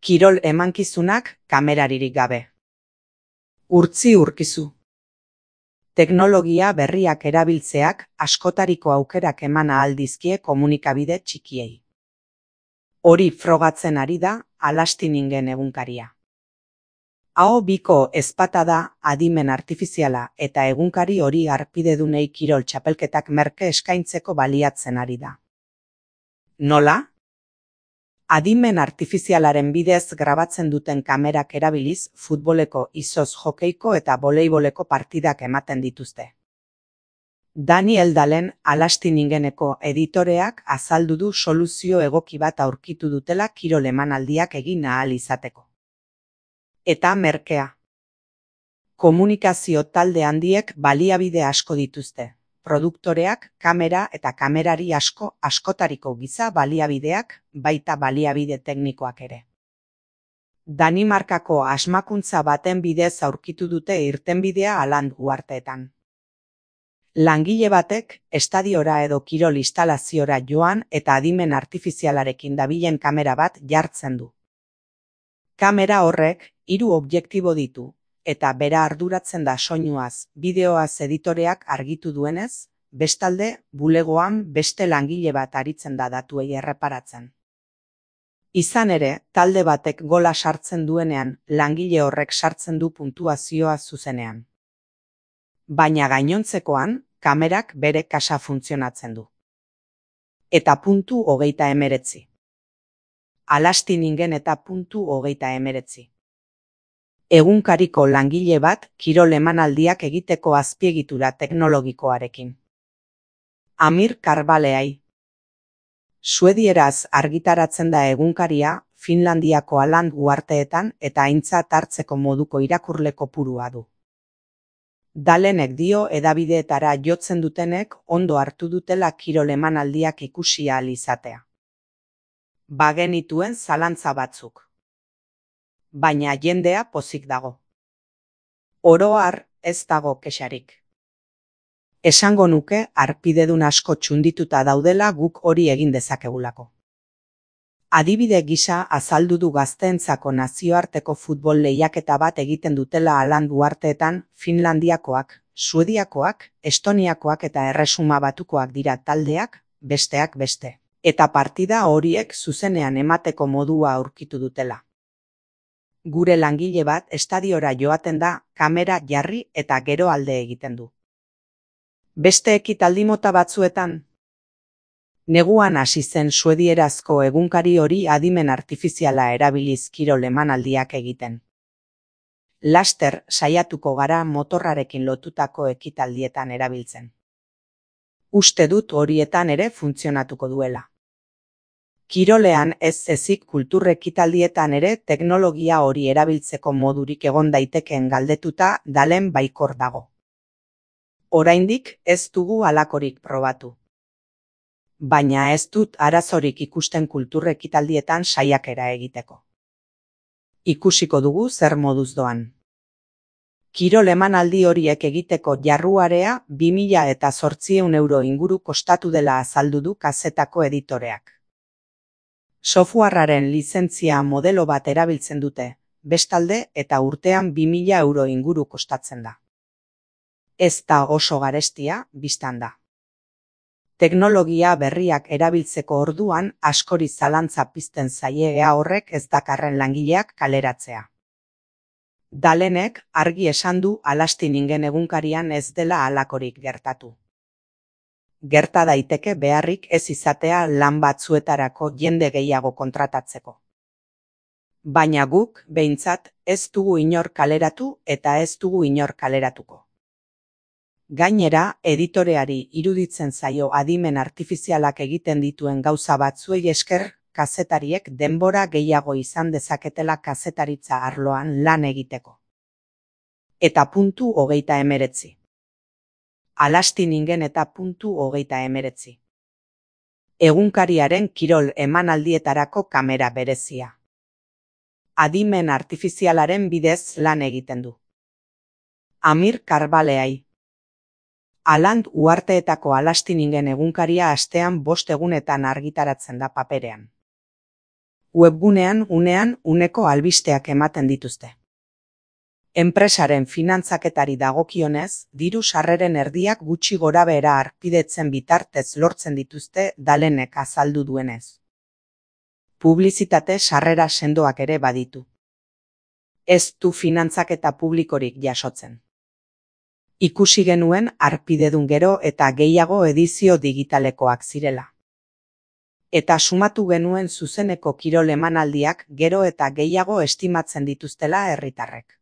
Kirol emankizunak kameraririk gabe. Urtzi urkizu. Teknologia berriak erabiltzeak askotariko aukerak eman ahal dizkie komunikabide txikiei. Hori frogatzen ari da Alastiningen egunkaria. Aho biko ezpata da adimen artifiziala eta egunkari hori harpidedunei kirol txapelketak merke eskaintzeko baliatzen ari da. Nola? Adimen artifizialaren bidez grabatzen duten kamerak erabiliz futboleko, izoz jokeiko eta voleiboleko partidak ematen dituzte. Daniel Dalen Alastiningeneko editoreak azaldu du soluzio egoki bat aurkitu dutela kirol emanaldiak egin ahal izateko. Eta merkea. Komunikazio talde handiek baliabide asko dituzte. Produktoreak, kamera eta kamerari askotariko giza baliabideak, baita baliabide teknikoak ere. Danimarkako asmakuntza baten bidez aurkitu dute irtenbidea Aland uharteetan. Langile batek estadiora edo kirol instalaziora joan eta adimen artifizialarekin dabilen kamera bat jartzen du. Kamera horrek 3 objektibo ditu. Eta bera arduratzen da soinuaz, bideoaz editoreak argitu duenez, bestalde, bulegoan beste langile bat aritzen da datuei erreparatzen. Izan ere, talde batek gola sartzen duenean, langile horrek sartzen du puntuazioa zuzenean. Baina gainontzekoan, kamerak bere kasa funtzionatzen du. Eta puntu 39. Alastiningen eta puntu 39. Egunkariko langile bat kirol emanaldiak egiteko azpiegitura teknologikoarekin. Amir Karbaleai. Suedieraz argitaratzen da egunkaria Finlandiako Aland uharteetan eta aintzat hartzeko moduko irakurle kopurua du. Dalenek dio hedabideetara jotzen dutenek ondo hartu dutela kirol emanaldiak ikusi ahal izatea. Bagenituen zalantza batzuk. Baina jendea pozik dago. Oro har ez dago kexarik. Esango nuke harpidedun asko txundituta daudela guk hori egin dezakegulako. Adibide gisa azaldu du gazteentzako nazioarteko futbol lehiaketa bat egiten dutela Aland uharteetan Finlandiakoak, Suediakoak, Estoniakoak eta Erresuma Batukoak dira taldeak, besteak beste. Eta partida horiek zuzenean emateko modua aurkitu dutela. Gure langile bat estadiora joaten da, kamera jarri eta gero alde egiten du. Beste ekitaldi mota batzuetan? Neguan hasi zen suedierazko egunkari hori adimen artifiziala erabiliz kirol emanaldiak egiten. Laster saiatuko gara motorrarekin lotutako ekitaldietan erabiltzen. Uste dut horietan ere funtzionatuko duela. Kirolean ez ezik kultur ekitaldietan ere teknologia hori erabiltzeko modurik egon daitekeen galdetuta Dalen baikor dago. Oraindik ez dugu halakorik probatu. Baina ez dut arazorik ikusten kultur ekitaldietan saiakera egiteko. Ikusiko dugu zer moduz doan. Kirol emanaldi horiek egiteko jarruarea 2.800 euro inguru kostatu dela azaldu du kazetako editoreak. Softwarearen lizentzia modelo bat erabiltzen dute, bestalde eta urtean 2.000 euro inguru kostatzen da. Ez da oso garestia, bistan da. Teknologia berriak erabiltzeko orduan askori zalantza pizten zaie ea horrek ez dakarren langileak kaleratzea. Dalenek argi esan du Alastiningen egunkarian ez dela halakorik gertatu. Gerta daiteke beharrik ez izatea lan batzuetarako jende gehiago kontratatzeko. Baina guk, behintzat, ez dugu inor kaleratu eta ez dugu inor kaleratuko. Gainera, editoreari iruditzen zaio adimen artifizialak egiten dituen gauza batzuei esker, kazetariek denbora gehiago izan dezaketela kazetaritza arloan lan egiteko. Eta puntu 39. Alastiningen eta puntu 39. Egunkariaren kirol emanaldietarako kamera berezia. Adimen artifizialaren bidez lan egiten du. Amir Karbaleai. Aland uharteetako Alastiningen egunkaria astean 5 egunetan argitaratzen da paperean. Webgunean unean uneko albisteak ematen dituzte. Enpresaren finantzaketari dagokionez, diru sarreren erdiak gutxi gorabehera harpidetzen bitartez lortzen dituzte Dalenek azaldu duenez. Publizitate sarrera sendoak ere baditu. Ez du finantzaketa publikorik jasotzen. Ikusi genuen harpidedun gero eta gehiago edizio digitalekoak zirela. Eta sumatu genuen zuzeneko kirol emanaldiak gero eta gehiago estimatzen dituztela herritarrek.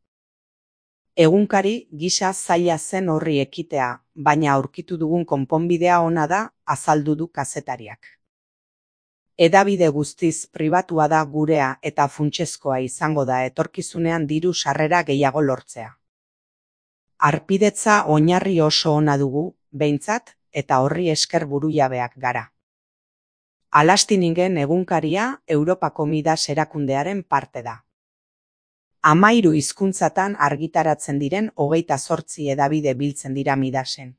Egunkari gisa zaila zen horri ekitea, baina aurkitu dugun konponbidea ona da, azaldu du kazetariak. Hedabide guztiz pribatua da gurea eta funtsezkoa izango da etorkizunean diru sarrera gehiago lortzea. Harpidetza oinarri oso ona dugu, behintzat, eta horri esker burujabeak gara. Alastingen egunkaria Europako Midas erakundearen parte da. 13 hizkuntzatan argitaratzen diren 28 hedabide biltzen dira Midasen.